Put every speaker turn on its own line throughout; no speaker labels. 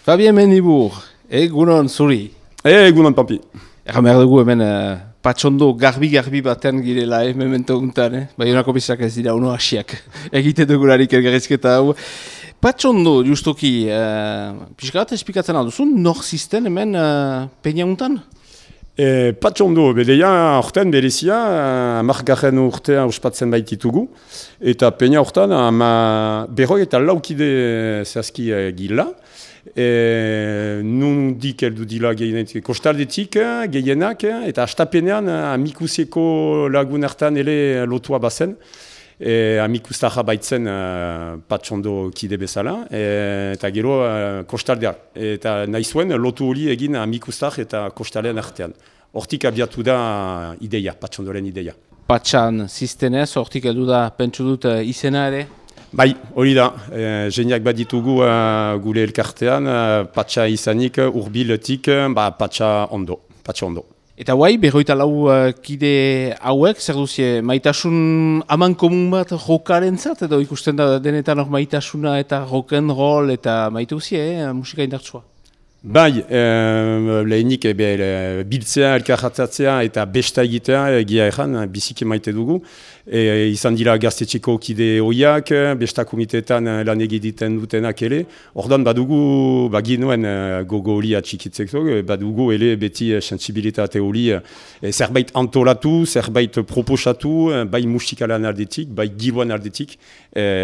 Fabien Mendibur, egunon zuri.
Egunon Pampi.
Egan behar dugu hemen patxondo garbi batean girela, memento guntan, Baionako bizak ez dira uno hasiak egite dugularik elgarrizketa hau. Patxondo, justoki, pixka bat espikatzen alduzun, nor zisten hemen peina guntan?
Patxondo, bedeia orten berezia, margarren urtea ospatzen baititugu, eta peina orten berroi eta laukide zehazki gila. Nundik heldu dila kostaldetik gehienak, eta astapenean amikuseko lagun hartan ele lotua bazen, amikustarra baitzen patxondo kide bezala, eta gero kostaldeak. Eta nahi zuen lotu hori egin amikustar eta kostalean artean. Hortik abiatu da ideia, patxondoren ideia.
Patxan ziztenez, hortik heldu da pentsu dut izena ere?
Bai, hori da, jeniak bat ditugu gure elkartean, patxa izanik urbiletik, patxa ondo. Eta
guai, berroita lau kide hauek, zer duzie, maitasun aman komun bat jokaren zat, edo ikusten da denetan hor maitasuna eta rock'n'roll eta maite duzie, musika indartsua?
Bai, lehenik biltzea, elkarratzatzea eta besta egitea, egia erran, biziki maite dugu. Izan dira gaztetxeko kide hoiak, besta komitetan lan egiten dutenak ere. Ordan badugu, baginuen gogo hori atxikitzeko, badugu ele beti sensibilitate hori zerbait antolatu, zerbait proposatu, bai musikalan aldetik, bai giroan aldetik,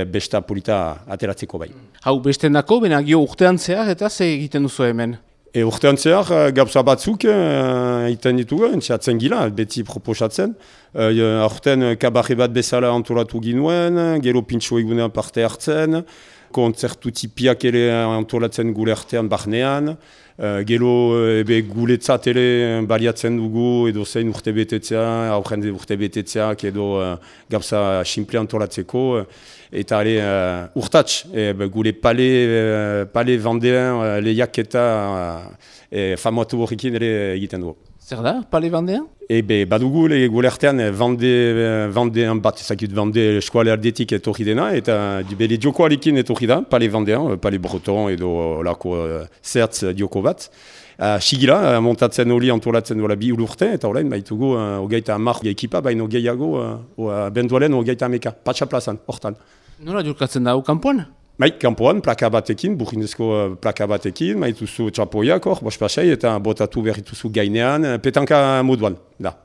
besta polita ateratzeko bai.
Hau, besten dako, benagio urtean zehar eta ze egiten duzu hemen?
Urtean zehar, gauza batzuk egiten ditugu, entxeatzen gila, beti proposatzen. Horten kabarre bat bezala antolatu ginuen, gero pintxo egunean parte hartzen, kontzertu tipiak ere antolatzen gure artean barnean, gero guletzat ere baliatzen dugu edo zein urte betetzea, aurren urte betetzeak edo gauza simple antolatzeko. Eta urtats, gure pale vendean lehiak eta famatu horrekin ere egiten dugu.
Zer da, pale vendean?
Badugu gure artean vendean bat, ezakit vende eskuale aldetik etorri dena, eta bere diokoarekin etorri da, pale vendean, pale breton edo lako zertz dioko bat. Sigila, montatzen hori antolatzen dola bi urte, eta horrein baitugu hogeita hamar ekipa, baino gehiago bendualen hogeita hameka, patxa plazan, hortan.
Nola jurkatzen da, kanpoan?
Bai, kanpoan, plaka batekin, burrindezko plaka batekin, maituzu txapoiak hor, bospasei, eta botatu berrituzu gainean, petanka moduan, da.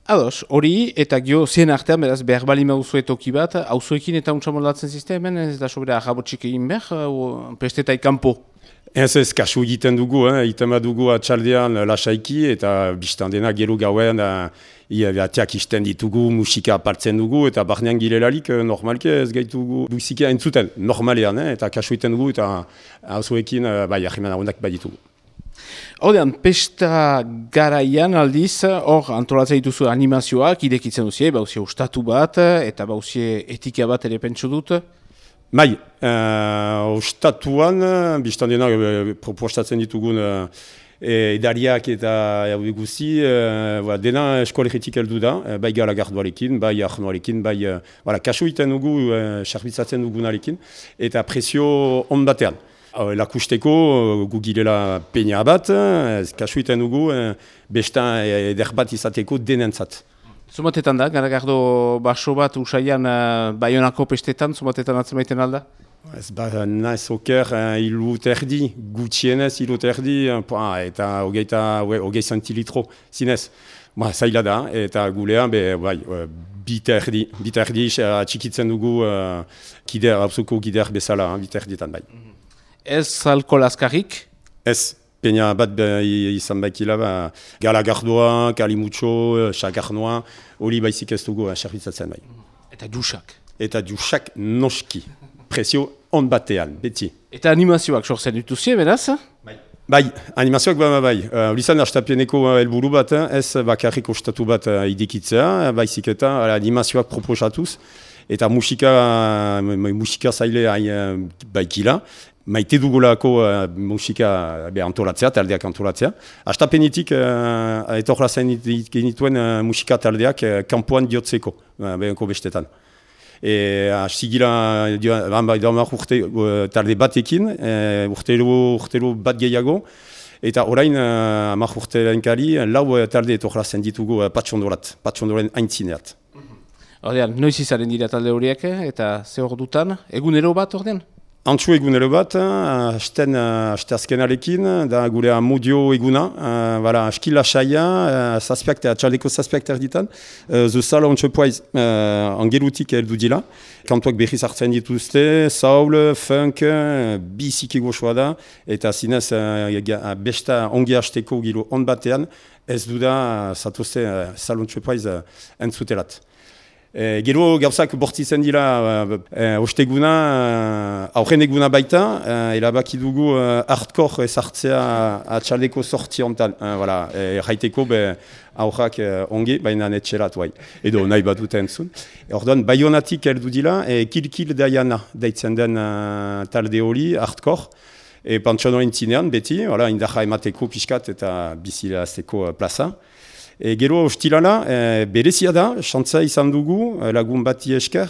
Ados, hori eta gio zien artean, beraz, behar bali mauzue toki bat, hauzuekin eta untsa moldatzen sistemen, ez da sobera ahabotxik egin behar, pestetai kanpo?
Ez kasu egiten dugu, egiten dugu atxaldean lasaiki eta biztan dena gero gauen atiak isten ditugu, musika apartzen dugu eta barnean girelarik normalke ez gaitugu musika entzuten normalean, eta kasu egiten dugu eta hauzuekin ahimen ahonak baditugu.
Hordean, pesta garaian aldiz, hor antolatzen dituzu animazioak, idekitzen duzie, bauzie ustatu bat eta bauzie etika bat ere pentsu dut.
Bai, ostatuan, biztan dena propostatzen ditugun edariak eta guzi, dena eskolegetik heldu da, bai galagardoarekin, bai arnoarekin, bai kasu egiten dugu, sarbitzatzen dugunarekin, eta presio on batean. Lakusteko gu girela peina bat, kasu egiten dugu, besta eder bat izateko denentzat.
Zumatetan da, garagardo baso bat usaian Baionako pestetan, zumatetan atzemaiten alda?
Ez naiz oker hiluterdi, gutxienez hiluterdi, eta hogei centilitro zinez. Zaila da, eta gulean, biterdi atxikitzen dugu hauzuko gider bezala, biterdietan bai.
Ez alkohol azkarrik?
Ez. Peina bat izan baikila, galagardoa, kalimutxo, xakarnoa, hori baizik ez dugu xarbitzatzen bai.
Eta jusak?
Eta jusak noski, presio on batean, beti.
Eta animazioak sortzen dituzie, beraz?
Bai, animazioak bai. Hori zan hastapeneko helburu bat, ez bakarrik ostatu bat idikitzea, baizik eta animazioak proposatuz, eta musika zaile baikila. Maite dugulako musika antolatzea, taldeak antolatzea. Hastapenetik etorrazen genituen musika taldeak kanpoan diotzeko, behenko bestetan. Sigila, damak urte talde batekin, urtero bat gehiago, eta orain amak urteren kari, lau talde etorrazen ditugu patxondoren aintzineat.
Ordean, noiz izaren dira talde horiek, eta ze hor dutan, egunero bat ordean?
Antxu egunero bat, aste azkenarekin, da gure amodio eguna, eskila saia, txaldeko zazpiak terditan, zuzala ontsu poaiz, angerutik heldu dila, kantuak behiz hartzen dituzte, saul, funk, biziki goxoa da, eta zinez besta ongi hasteko giro on batean, ez duda zatuzte zalontsu poaiz entzutelat. Gero gauzak bortitzen dira osteguna, aurren eguna baita, erabaki dugu hardcore ezartzea atxaldeko sortzi hontan. Jaiteko aurrak ongi, baina netxerat bai. Edo nahi bat dute entzun. Orduan, Baionatik heldu dira, Kilkil Daiana deitzen den talde hori, hardcore. Pantxonoren zinean, beti, indarra emateko pixkat eta bizilazteko plaza. Gero ostilala, berezia da, xantza izan dugu, lagun bati esker,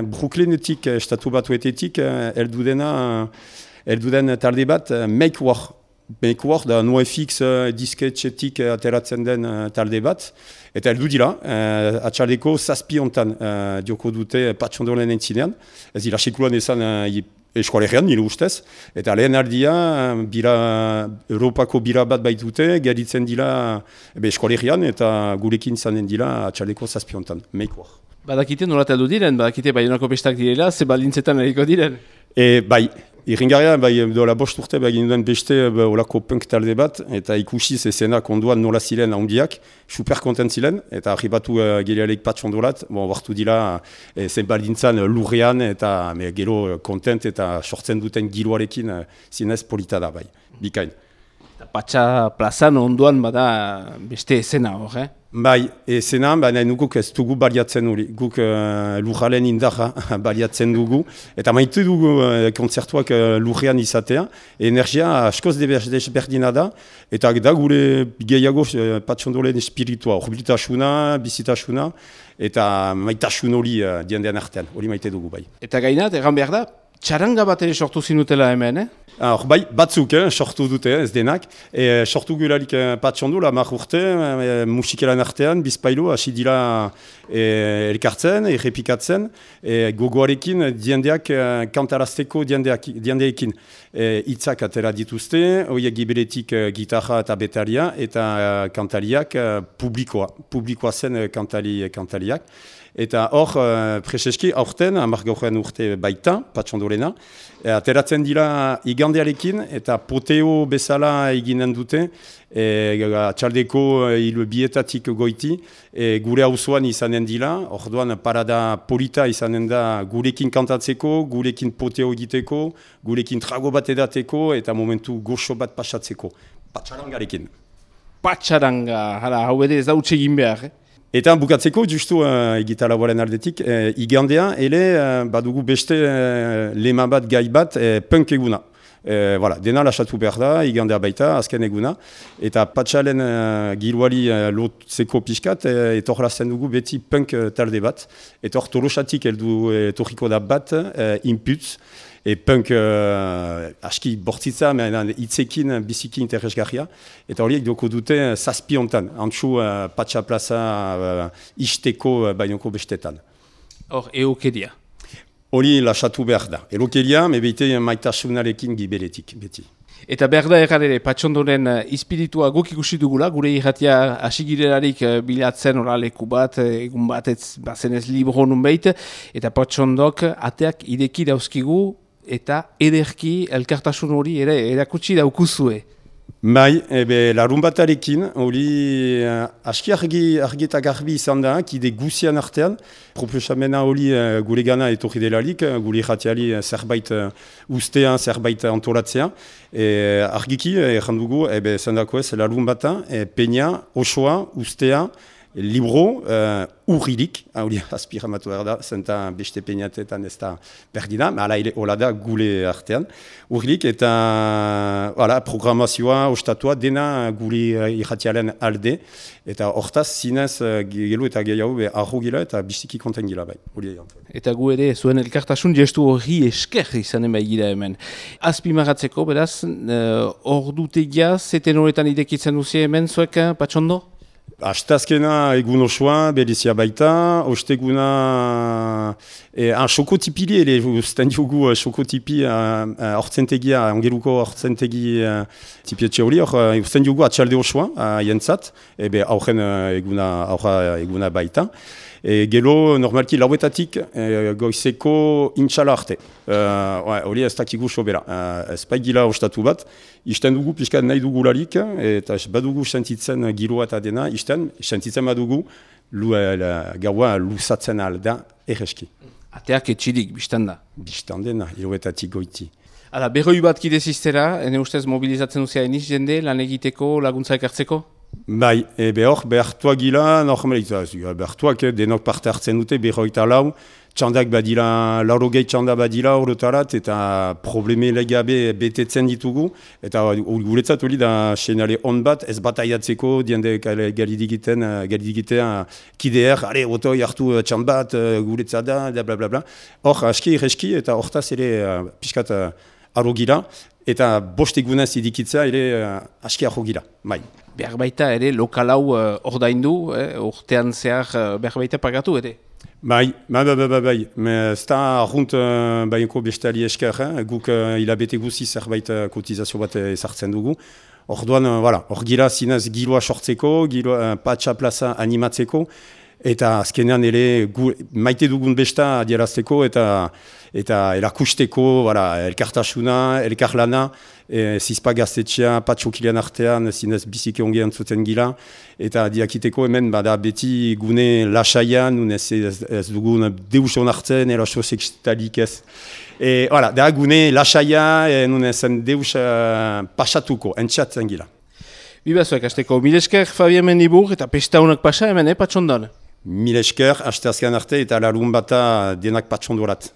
Brooklynetik, estatu batuetetik, elduden talde bat, Make War. Make War da NoFX disketxetik ateratzen den talde bat, eta eldu dira, atxaldeko zazpi hontan dioko dute patxondoren entzinean, ez dira sekulan ezan eskualegean, nire ustez, eta lehen aldia, Europako bira bat baitute, geritzen dira eskualegean, eta gurekin zanen dira atxaldeko zazpi hontan, Make War.
Badakite nolat heldu diren, badakite Baionako pestak direla, ze baldintzetan eriko diren?
Bai, irringarria, dola bost urte, egin duen beste olako punk talde bat, eta ikusiz esenak onduan nola ziren handiak, super kontent ziren, eta arribatu gerialeik patxondolat, bartu dira zen baldintzan lurrean, eta gero kontent eta sortzen duten giroarekin zinez polita da, bai, bikain.
Patxa plazan onduan bada beste esena hor,
Bai, esena, baina guk ez dugu baliatzen hori, guk lurralen indarra baliatzen dugu, eta maite dugu kontzertuak lurrean izatea, energia askoz desberdina da, eta da gure gehiago patxondolen espiritua, horbilitasuna, bizitasuna, eta maitasun hori diendean artean, hori maite dugu bai. Eta
gainat, egan behar da, txaranga bat ere sortu zinutela hemen,
Bai, batzuk sortu dute, ez denak. Sortu gularik patxondo, la mar urte, musikelan artean, bizpailu, hasi dira elkartzen, errepikatzen, gogoarekin diendeak kantarazteko diendeekin. Itzak atera dituzte, horiek gibeletik gitarra eta betaria, eta kantariak publikoa zen kantariak. Eta hor, preseski, aurten, amargauren urte baita, patxondolena, ateratzen dira igandearekin, eta poteo bezala eginen dute, txaldeko bietatik goiti, gure hauzoan izanen dira, orduan parada polita izanen da gurekin kantatzeko, gurekin poteo egiteko, gurekin trago bat edateko, eta momentu goxo bat pasatzeko, patxarangarekin.
Patxaranga, hau ere ez da utxe egin behar,
Eta bukatzeko, justu egitarauaren aldetik, igandea, badugu beste lema bat, gai bat, punk eguna. Dena lasatu behar da, igandea baita, azken eguna. Eta patxalen giroari lotzeko pixkat, etorrazen dugu beti punk talde bat. Eta hor tolosatik etorriko da bat, inputz. Punk aski bortzitza, hitzekin biziki interesgarria. Eta horiek doko dute zazpi hontan, antxu patxa plaza isteko bainoko bestetan.
Hor, eokeria?
Hori lasatu behar da. Eokeria, mebeite maitasunarekin gibeletik, beti.
Eta behar da erran ere, patxondoren espiritua guk ikusi dugula, gure irratia asigirelarik bilatzen leku bat, egun bat ez bazenez libro nun behit, eta patxondok ateak ideki dauzkigu, eta ederki elkartasun hori ere erakutsi daukuzue.
Bai, larun batarekin, hori aski argi eta garbi izan da, kide guzian artean, proposamena hori gure gana etorri delarik, gure irratiali zerbait ustean, zerbait antolatzea. Argiki, errandugu, zendako ez, larun bata, peina, osoa, ustea, libro urrilik, hori azpiramatu behar da, zenta beste peinatetan ez da perdida, hala hola da gule artean. Urrilik eta programazioa, ostatua, dena gule irratialen alde, eta hortaz zinez gelo eta gehiago arro gila eta biziki konten gila bai.
Eta gu ere zuen elkartasun gestu horri esker izanen bai gira hemen. Azpimagatzeko, beraz, ordutegia, zeten horretan idekitzen duzi hemen, zuek, Patxondo?
Astazkena egun osoa, berizia baita, osteguna xokotipili ere, usten diogu xokotipi hortzentegia, ongeruko hortzentegi tipietxe hori, usten diogu atxalde osoa, jentzat, aurren eguna baita. Gelo, normalki lauetatik goizeko intxala arte. Hori ez dakigu sobera. Ez paigila ostatu bat, isten dugu pixkat nahi dugularik, eta badugu sentitzen giroa eta dena, sentitzen badugu gaua lusatzen alda erreski.
Ateak etxirik, biztan da?
Biztan dena, lauetatik goiti.
Hala, berroi bat kideziztera, ene ustez mobilizatzen duzia eniz jende, lan egiteko, laguntza ekartzeko?
Bai, behartuak gila, behartuak denok parte hartzen dute, berroita lau, txandak badila, laurogei txanda badila horretarat, eta probleme legabe betetzen ditugu, eta guretzat hori da senale on bat, ez bataiatzeko, diende galidigitea kideer, oto jartu txand bat, guretzat da, blablabla. Hor, aski, reski, eta hortaz ere pixkat arro gira, eta bost egunez idikitza ere aski arro gira, bai.
Behar baita ere lokalau ordaindu, urtean zehar behar baita pagatu ere?
Bai. Ez da arrunt bainko bestali esker, guk hilabete guzi zerbait kotizazio bat ezartzen dugu. Orduan, hor gira zinez giroa sortzeko, patxa plaza animatzeko, eta azkenean ere maite dugun besta adierazteko eta erakusteko elkartasuna, elkarlana, zizpa gaztetxea, patxokilean artean, zinez biziki ongean zuten gila, eta diakiteko hemen bada beti gune lasaian, ez dugun deuson hartzen, eraso sekstalik ez. Da gune lasaia, nunezen deus pasatuko, entxatzen gila.
Bibazuek, azteko, milesker Fabien Mendibur eta pesta honak pasa hemen, Patxondon?
Milesker, aste azken arte eta larun bata denak Patxondorat.